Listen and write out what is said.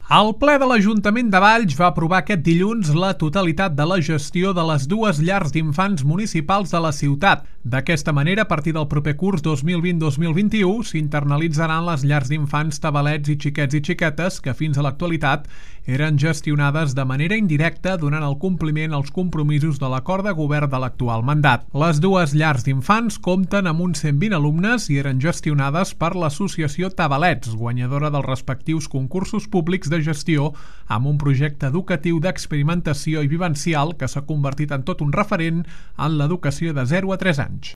El ple de l'Ajuntament de Valls va aprovar aquest dilluns la totalitat de la gestió de les dues llars d'infants municipals de la ciutat. D'aquesta manera, a partir del proper curs 2020-2021, s'internalitzaran les llars d'infants Tabalets i Xiquets i Xiquetes que fins a l'actualitat eren gestionades de manera indirecta donant el compliment als compromisos de l'acord de govern de l'actual mandat. Les dues llars d'infants compten amb uns 120 alumnes i eren gestionades per l'associació Tabalets, guanyadora dels respectius concursos públics de gestió amb un projecte educatiu d'experimentació i vivencial que s'ha convertit en tot un referent en l'educació de 0 a 3 anys.